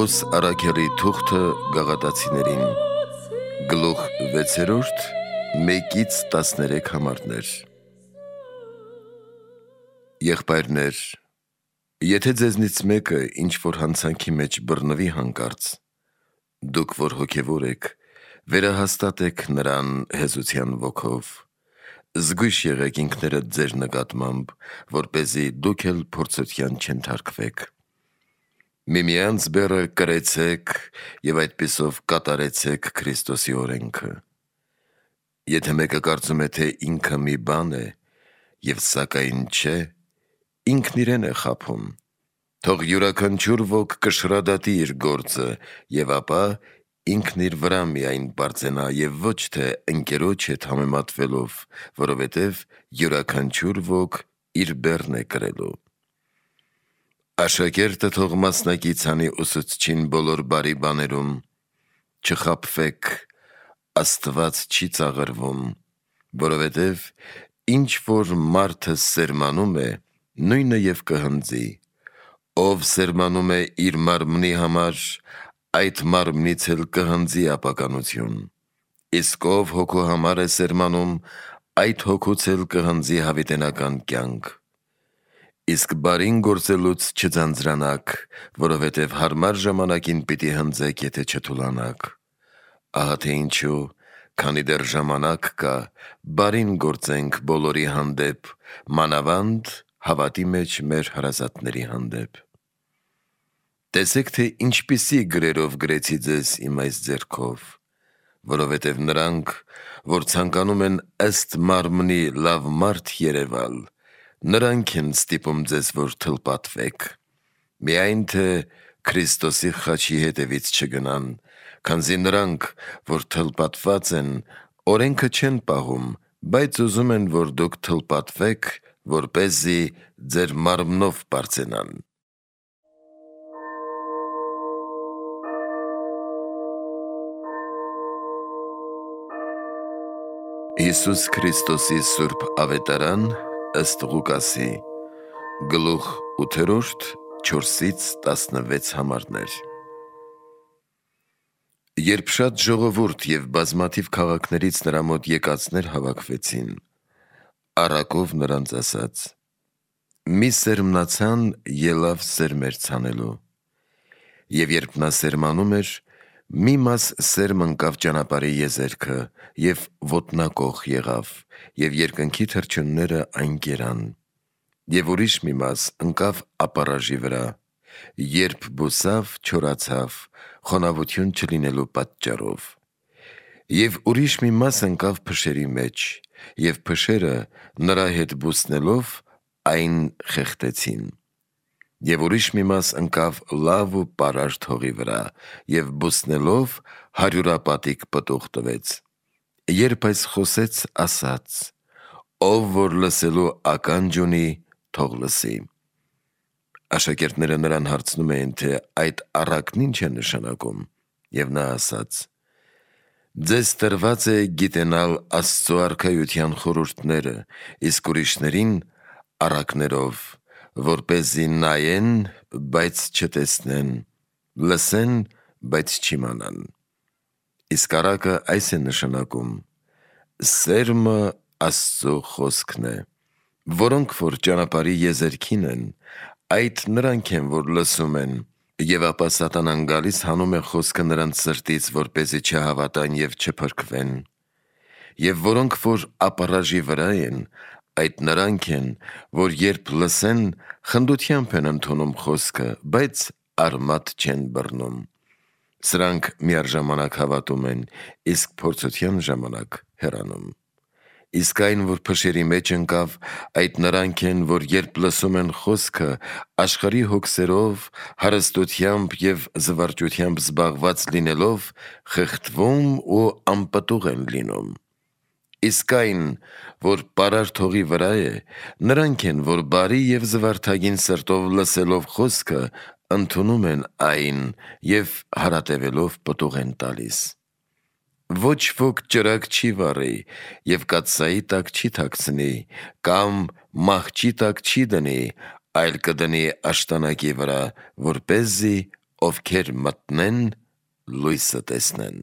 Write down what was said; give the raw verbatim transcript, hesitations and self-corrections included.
Պողոս Արաքելի թուղթը գաղատացիներին, գլուխ վեցերորդ, մեկից տասներեք համարներ։ Եղբայրներ, եթե ձեզնից մեկը ինչ-որ հանցանքի մեջ բռնվի հանկարծ, դուք որ հոգևոր եք, վերահաստատեք նրան հեզության ոգով, զգույշ եղեք ինքներդ ձեր նկատմամբ, որպեսզի դուք էլ փորձության չենթարկվեք։ Միմյանց բեռը կրեցեք և այդպիսով կատարեցեք Քրիստոսի օրենքը։ Եթե մեկը կարծում է, թե ինքը մի բան է, և սակայն չէ, ինքն իրեն է խաբում, թող յուրաքանչյուր ոք կշռադատի իր գործը, և ապա ինքն իր վրա միայն պարծենա և ոչ թե ընկերոջ հետ համեմատվելով, որովհետև յուրաքանչյուր ոք իր բեռն է կրելու։ Աշակերտը թող մասնակից անի ուսուցչին բոլոր բարի բաներում, չխաբվեք, Աստված չի ծաղրվում, որովհետև ինչ որ մարդը սերմանում է, նույնը և կհնձի, ով սերմանում է իր մարմնի համար, այդ մարմնից էլ կհնձի ապականություն, իսկ ով հոգու համար է սերմանում, այդ հոգուց էլ կհնձի հավիտենական կյանք։ Իսկ բարին գործելուց չձանձրանաք, որովհետև հարմար ժամանակին պիտի հնձեք, եթե չթուլանաք։ Ահա թե ինչու, քանի դեռ ժամանակ կա, բարին գործենք բոլորի հանդեպ, մանավանդ հավատի մեջ մեր հարազատների հանդեպ։ Տեսեք, թե ինչպիսի գրերով գրեցի ձեզ իմ այս ձեռքով, որովհետև նրանք, որ ցանկանում են ըստ մարմնի լավ մարդ երևալ, նրանք են ստիպում ձեզ, որ թլպատվեք, միայն թե Քրիստոսի խաչի հետևից չգնան, քանզի նրանք, որ թլպատված են, օրենքը չեն պահում, բայց ուզում են, որ դուք թլպատվեք, որպեսզի ձեր մարմնով պարծենան։ Հիսուս Քրիստոսի սուրբ ավետարան ըստ Ղուկասի, գլուխ ութերորդ, չորսից տասնվեց համարներ։ Երբ շատ ժողովուրդ և բազմաթիվ քաղաքներից նրա մոտ եկածներ հավաքվեցին, առակով նրանց ասաց. մի սերմնացան ելավ սերմեր ցանելու, և երբ նա սերմանում էր, մի մաս սերմ ընկավ ճանապարհի եզերքը և ոտնակոխ եղավ, և երկնքի թռչունները այն կերան, և ուրիշ մի մաս ընկավ ապառաժի վրա, երբ բուսավ, չորացավ, խոնավություն չլինելու պատճառով, և ուրիշ մի մաս ընկավ փշերի մեջ, և փշերը նրա հետ բուսնելով այն խեղդեցին, և ուրիշ մի մաս ընկավ լավ ու պարարտ հողի վրա, և բուսնելով հարյուրապատիկ պտուղ տվեց։ Երբ այս խոսեց, ասաց. ով որ լսելու ականջ ունի, թող լսի։ Աշակերտները նրան հարցնում էին, թե այդ առակն ինչ է նշանակում, և նա ասաց. ձեզ տրված է գիտենալ Աստծու արքայության խորհուրդները, իսկ ուրիշներին առակներով, որպեսզի նայեն, բայց չտեսնեն, լսեն, բայց չիմանան։ Իսկ առակը այս է նշանակում. սերմը Աստծու խոսքն է, որոնք որ ճանապարհի եզերքին են, այդ նրանք են, որ լսում են, և ապա սատանան գալիս հանում է խոսքը նրանց սրտից, որպեսզի չհավատան և չփրկվեն, և որոնք որ ապառաժի վրա են, այդ նրանք են, որ երբ լսեն, խնդությամբ են ընդունում խոսքը, բայց արմատ չեն բռնում։ Սրանք միառժամանակ հավատում են, իսկ փորձության ժամանակ հեռանում։ Իսկ այն, որ փշերի մեջ ընկավ, այդ նրանք են, որ երբ լսում են խոսքը, աշխարհի հոգսերով, հարստությամբ և զվարճությամբ զբաղված լինելով, խեղդվում ու անպտուղ են լինում։ Իսկ այն, որ պարարտ հողի վրա է, նրանք են, որ բարի և զվարթագին սրտով լսելով խոսքը, ընդունում են այն և հարատևելով պտուղ են տալիս։ Ոչ ոք ճրագ չի վառի և կաթսայի տակ չի թաքցնի, կամ մահճի տակ չի դնի, այլ կդնի աշտանակի վրա, որպեսզի ովքեր մտնեն լույսը տեսնեն։